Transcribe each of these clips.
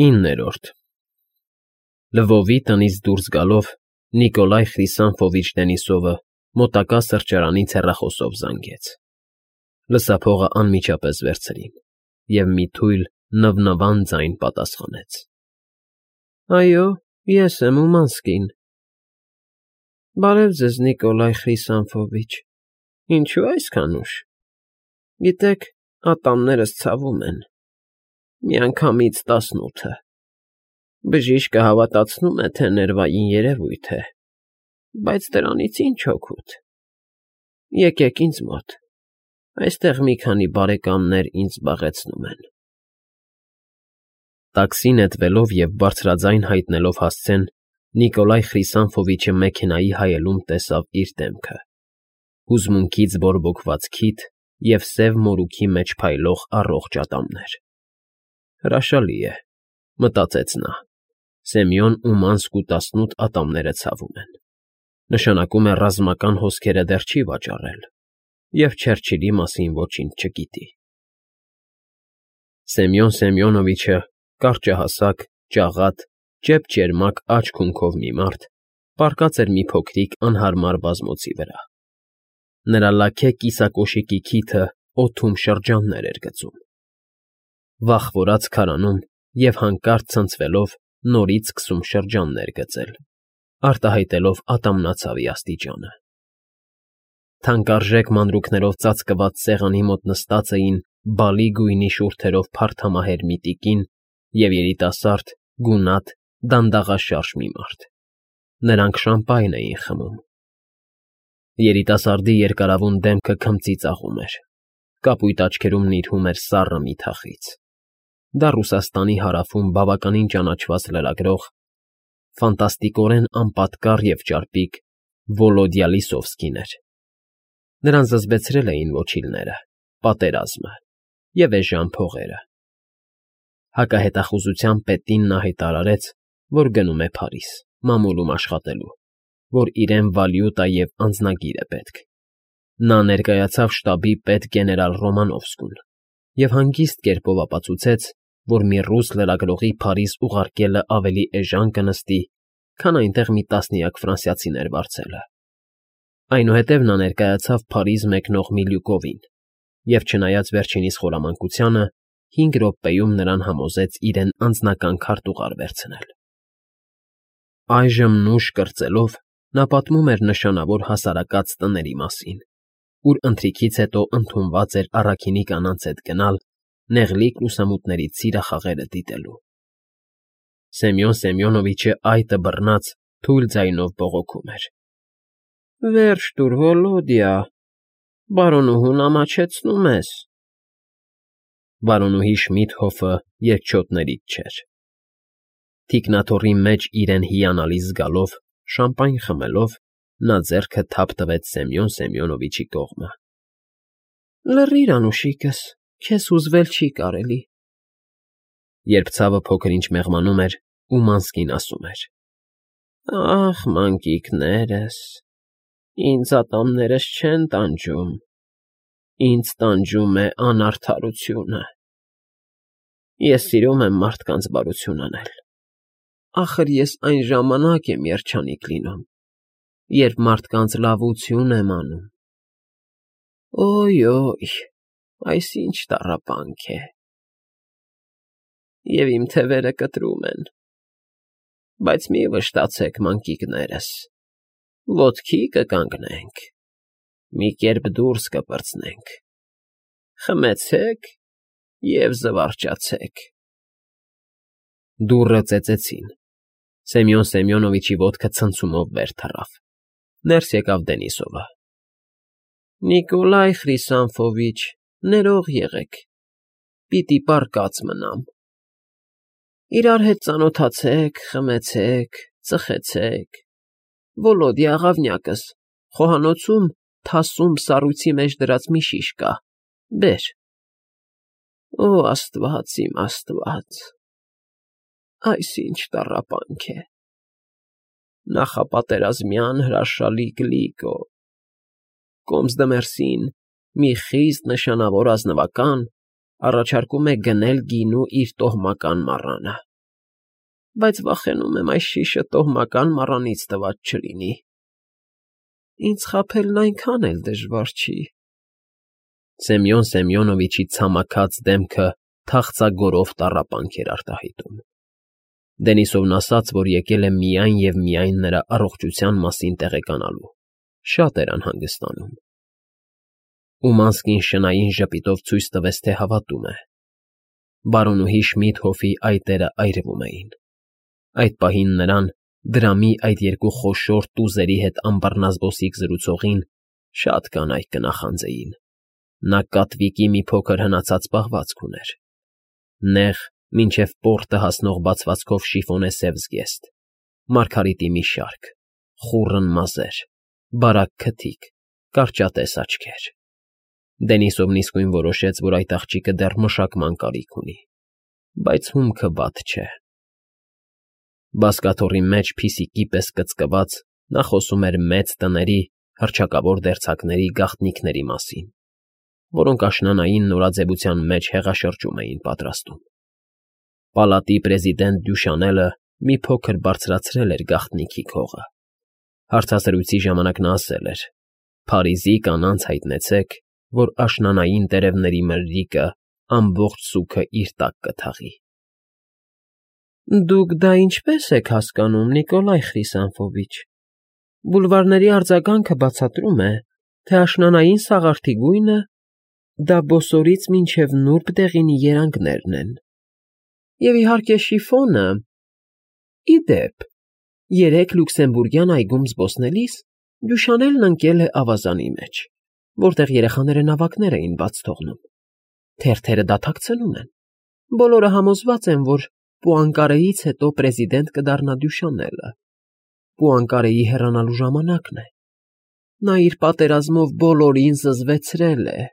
9-րդ Լվովի տնից դուրս գալով Նիկոլայ Խրիսանֆովիչ Դենիսովը մոտակա սրճարանից հեռախոսով զանգեց։ Լսափողը անմիջապես վերցրին, և մի թույլ, նվնվան ձայն պատասխանեց. Այո, ես եմ Ումանսկին։ Բարև ձեզ, Նիկոլայ Խրիսանֆովիչ, ինչու այսքան ուշ։ Գիտեք, ատամներս ցավում են, միանգամից 18-ը։ Բժիշկը հավատացնում է, թե ներվային երևույթ է, բայց դրանից ինչ օգուտ։ Եկեք ինձ մոտ, այստեղ մի քանի բարեկամներ ինձ զբաղեցնում են։ Տաքսի նետվելով և բարձրաձայն հայտնելով հասցեն, Նիկոլայ Խրիսանֆովիչը մեքենայի հայելուն տեսավ իր դեմքը, հուզմունքից բորբոքված քիթ և սև մորուքի մեջ փայլող առողջ ատամներ։ Հրաշալի է, մտածեց նա, Սեմյոն Ումանսկու 18 ատամները ցավում են, նշանակում է ռազմական հոսքերը դեռ չի վաճառել և Չերչիլի մասին ոչինչ չգիտի։ Սեմյոն Սեմյոնովիչը, կարճահասակ, ճաղատ, ճեպճերմակ աջ քունքով մի մարդ, պառկած էր մի փոքրիկ անհարմար բազմոցի վրա։ Նրա լաքե կիսակոշիկի քիթը օդում շրջաններ էր գծում։ Վախվորած քարանում և հանկարծ ցնցվելով նորից սկսում շրջաններ գծել, արտահայտելով ատամնացավի աստիճանը։ Թանկարժեք մանրուքներով ծածկված սեղանի մոտ նստած էին բալի գույնի շուրթերով փարթամահեր մի տիկին և երիտասարդ, գունատ, դանդաղաշարժ մի մարդ։ Նրանք շամպայն էին խմում։ Երիտասարդի երկարավուն դեմքը քմծի ծաղում էր, կապույտ աչքերում նիրհում էր սառը մի թախիծ։ Դա Ռուսաստանի հարավում բավականին ճանաչված լրագրող, ֆանտաստիկորեն անպատկառ և ճարպիկ Վոլոդյա Լիսովսկին էր։ Նրան զզվեցրել էին ոչիլները, պատերազմը և էժան փողերը։ Հակահետախուզության պետին նա հայտարարեց, որ գնում է Փարիզ, մամուլում աշխատելու, որ իրեն վալյուտա և անձնագիր է պետք։ Նա ներկայացավ շտաբի պետ գեներալ Ռոմանովսկուն և հանգիստ կերպով ապացուցեց, որ մի ռուս լրագրողի Փարիզ ուղարկելը ավելի էժան կնստի, քան այնտեղ մի տասնյակ ֆրանսիացիներ վարձելը։ Այնուհետև նա ներկայացավ Փարիզ մեկնող Միլյուկովին և, չնայած վերջինիս խորամանկությանը, 5 րոպեում նրան համոզեց իրեն անձնական քարտուղար վերցնել։ Այժմ նուշ կրծելով նա պատմում էր նշանավոր հասարակած տների մասին, ուր ընթրիքից հետո ընդունված էր առաքինի կանանց հետ գնալ նեղլիկ լուսամուտներից սիրախաղերը դիտելու։ Սեմյոն Սեմյոնովիչը այտը բռնած թույլ ձայնով բողոքում էր. Վերջ տուր, Վոլոդյա, բարոնուհուն ամաչեցնում ես։ Բարոնուհի Շմիդհոֆը երկչոտներից չէր։ Թիկնաթոռի մեջ իրեն հիանալի զգալով, շամպայն խմելով, նա ձեռքը թափ տվեց Սեմյոն Սեմյոնովիչի կողմը։ Լռիր, անուշիկս, քեզ հուզվել չի կարելի։ Երբ ցավը փոքր-ինչ մեղմանում էր, Ումանսկին ասում էր. Ախ, մանկիկներս, ինձ ատամներս չեն տանջում, ինձ տանջում է անարդարությունը։ Ես սիրում եմ մարդկանց բարություն անել։ Ախր ես այն ժամանակ եմ երջանիկ լինում, երբ մարդկանց լավություն եմ անում։ Օյ, այս ինչ տառապանք է։ Եվ իմ թևերը կտրում են, բայց մի վշտացեք, մանկիկներս, ոտքի կկանգնենք, մի կերպ դուրս կպրծնենք, խմեցեք և զվարճացեք։ Դուռը ծեծեցին։ Սեմյոն Սեմյոնովիչի ոտքը ցնցումով վեր թռավ։ Ներս եկավ Դենիսովը։ Նիկոլայ Խրիսանֆովիչ, ներող եղեք, պիտի պառկած մնամ։ Իրար հետ ծանոթացեք, խմեցեք, ծխեցեք։ Վոլոդյա աղավնյակս, խոհանոցում թասում սառույցի մեջ դրած մի շիշ կա, բեր։ Օ, Աստված, իմ Աստված, այս ինչ տառապանք է։ Նախապատերազմյան հրաշալի Գլիկո։ Կոմսդմերսին մի խիստ նշանավոր ազնվական առաջարկում է գնել գինու իր տոհմական մառանը։ բայց վախենում եմ այս շիշը տոհմական մառանից տված չլինի։ Ինձ խաբելն այնքան էլ դժվար չի։ Սեմյոն Սեմյոնովիչի ցամաքած դեմքը թախծագորով տառապանք էր արտահայտում։ Դենիսովն ասաց, որ եկել է միայն և միայն նրա առողջության մասին տեղեկանալու, շատ էր անհանգստանում։ Ումանսկին շնային ժպիտով ցույց տվեց, թե հավատում է։ Բարոնուհի Շմիդհոֆի այտերը այրվում էին։ Այդ պահին նրան, դրամի այդ երկու խոշոր տուզերի հետ ամբառնազբոսիկ զրուցողին, շատ կանայք կնախանձեին։ Նա կատվիկի մի փոքր հնացած պահվածք ուներ։ Նեղ, մինչև պորտը հասնող բացվածքով շիֆոնե սև զգեստ, մարգարիտի մի շարք, խուռն մազեր, բարակ քթիկ, կարճատես աչքեր։ Դենիսովն իսկույն որոշեց, որ այդ աղջիկը դեռ մշակման կարիք ունի, բայց հումքը վատ չէ։ Բազկաթոռի մեջ փիսիկի պես կծկված նա խոսում էր մեծ տների, հռչակավոր դերձակների գաղտնիքների մասին, որոնք աշնանային նորաձևության մեջ հեղաշրջում էին պատրաստում։ Պալատի պրեզիդենտ Դյուշանելը մի փոքր բարձրացրել էր գաղտնիքի քողը։ Հարցազրույցի ժամանակ նա ասել էր. «Փարիզի կանանց հայտնեցեք, որ աշնանային տերևների մրրիկը ամբողջ սուգը իր տակ կթաղի»։ Դուք դա ինչպես եք հասկանում, Նիկոլայ Խրիսանֆովիչ։ Բուլվարների արձագանքը բացատրում է, թե աշնանային սաղարթի գույնը դա բոսորից մինչև նուրբ դեղինի երանգներն են։ Եվ իհարկե շիֆոնը։ Ի դեպ, երեկ Լյուքսեմբուրգյան այգում զբոսնելիս Դյուշանելն ընկել է ավազանի մեջ, որտեղ երեխաները նավակներ էին բաց թողնում։ Թերթերը դատակցնում են։ Բոլորը համոզված են, որ Պուանկարեից հետո պրեզիդենտ կդառնա Դյուշանելը։ Պուանկարեի հեռանալու ժամանակն է։ Նա իր պատերազմով բոլորին զզվեցրել է։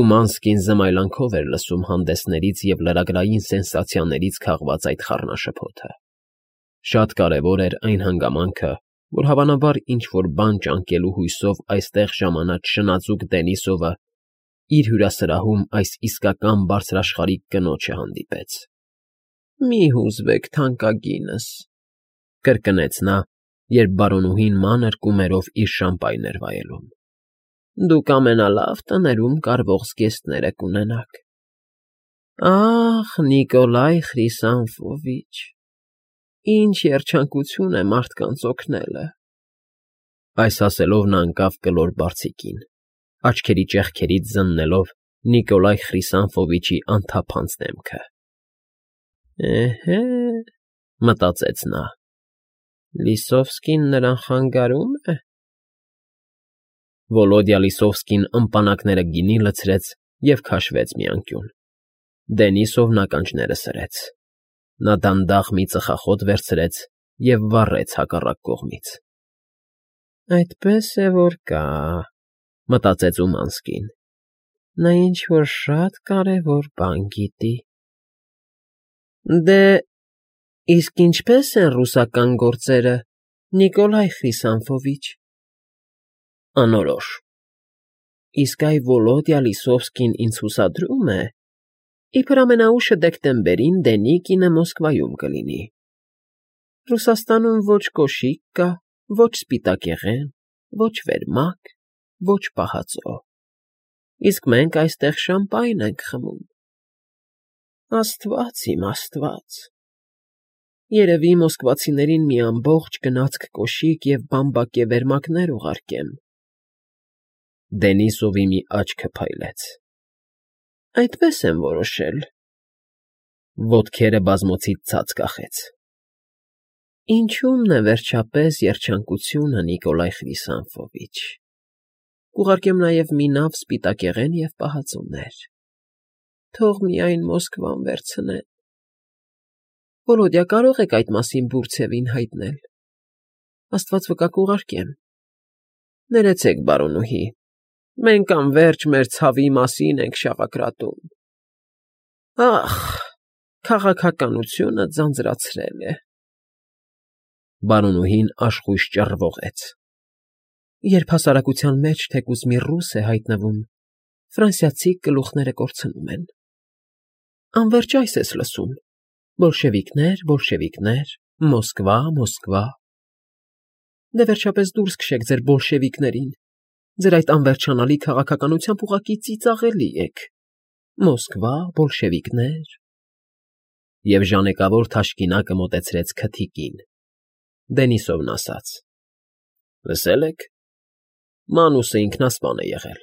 Ումանսկին զմայլանքով էր լսում հանդեսներից և լրագրային սենսացիաներից քաղված այդ խառնաշփոթը։ Շատ կարևոր էր այն հանգամանքը, որ հավանաբար ինչ-որ բան ճանկելու հույսով այստեղ ժամանած շնաձուկ Դենիսովը իր հյուրասրահում այս իսկական բարձրաշխարհիկ կնոջը հանդիպեց։ «Մի հուզվեք, թանկագինս», կրկնեց նա, երբ բարոնուհին մանր կումերով իր շամպայն էր վայելում։ «Դուք ամենալավ տներում կարվող զգեստները կունենաք»։ Ախ, Նիկոլայ Խրիսանֆովիչ, ինչ երջանկություն է մարդկանց օգնելը։ Այս ասելով նա ընկավ կլոր բարձիկին, աչքերի ճեղքերից զննելով Նիկոլայ Խրիսանֆովիչի անթափանց դեմքը։ Էհե, մտածեց նա, Լիսովսկին նրան խանգարում է։ Վոլոդյա Լիսովսկին ըմպանակները գինի լցրեց և քաշվեց մի անկյուն։ Դենիսովն ականջները սրեց։ Նա դանդաղ մի ծխախոտ վերցրեց և վառեց հակառակ կողմից։ Այդպես է, որ կա, մտածեց Ումանսկին։ Նա ինչ-որ շատ կարևոր բան գիտի։ Դե, իսկ ինչպե՞ս են ռուսական գործերը, Նիկոլայ Խրիսանֆովիչ։ Անորոշ։ Իսկ այ Վոլոդյա Լիսովսկին ինձ հուսադրում է, իբր ամենաուշը դեկտեմբերին Դենիկինը Մոսկվայում կլինի։ Ռուսաստանում ոչ կոշիկ կա, ոչ սպիտակեղեն, ոչ վերմակ, ոչ պահածո։ Իսկ մենք այստեղ շամպայն ենք խմում։ Աստված իմ Աստված։ Երևի մոսկվացիներին մի ամբողջ գնացք կոշիկ և բամբակե վերմակներ ուղարկեմ։ Դենիսովի մի աչքը փայլեց։ Այդպես եմ որոշել։ Ոտքերը բազմոցից ցած կախեց։ Ինչու՞մն է վերջապես երջանկությունը, Նիկոլայ Խրիսանֆովիչ։ Կուղարկեմ նաև մի նավ սպիտակեղեն և պահածոներ։ Թող միայն Մոսկվան վերցնեն։ Վոլոդյա, կարող եք այդ մասին Բուրցևին հայտնել։ Աստված վկա կուղարկեմ։ Ներեցեք, բարոնուհի, մենք անվերջ մեր ցավի մասին ենք շավակրատում։ Ախ, քաղաքականությունը ձանձրացրել է։ Բարոնուհին աշխույժ ճռվողեց։ Երբ հասարակության մեջ թեկուզ մի ռուս է հայտնվում, ֆրանսիացի գլուխները կորցնում են։ Անվերջ այս ես լսում։ Բոլշևիկներ, Մոսկվա, Մոսկվա։ Դե վերջապես դուրս քշեք ձեր բոլշևիկներին, ձեր այդ անվերջանալի քաղաքականությամբ ուղղակի ծիծաղելի եք։ Մոսկվա, բոլշևիկներ։ Եվ ժանեկավոր թաշկինակը մոտեցրեց քթիկին, Դենիսովն ասաց. Լսել եք, Մանուսը ինքնասպան է եղել։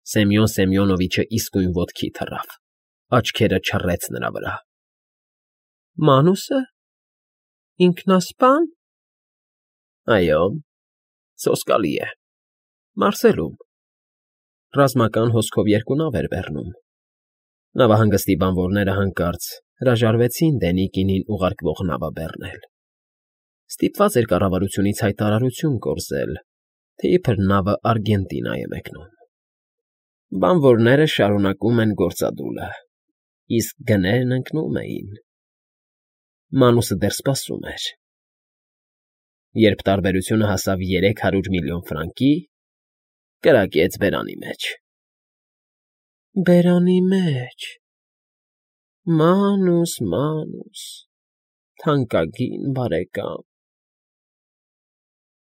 Սեմյոն Սեմյոնովիչը իսկույն ոտքի թռավ, աչքերը չռեց նրա վրա։ Մանուսը… ինքնասպա՞ն… Այո, սոսկալի է, Մարսելում, ռազմական հոսքով երկու նավ էր բեռնում։ Նավահանգստի բանվորները հանկարծ հրաժարվեցին Դենիկինին ուղարկվող նավը բեռնել։ Ստիպված էր կառավարությունից հայտարարություն կորզել, թե իբր նավը Արգենտինա է մեկնում։ Բանվորները շարունակում են գործադուլը, իսկ գներն ընկնում էին։ Մանուսը դեռ սպասում էր։ Երբ տարբերությունը հասավ 300 միլիոն ֆրանկի, կրակեց բերանի մեջ։ Բերանի մեջ… Մանուս, թանկագին բարեկամ։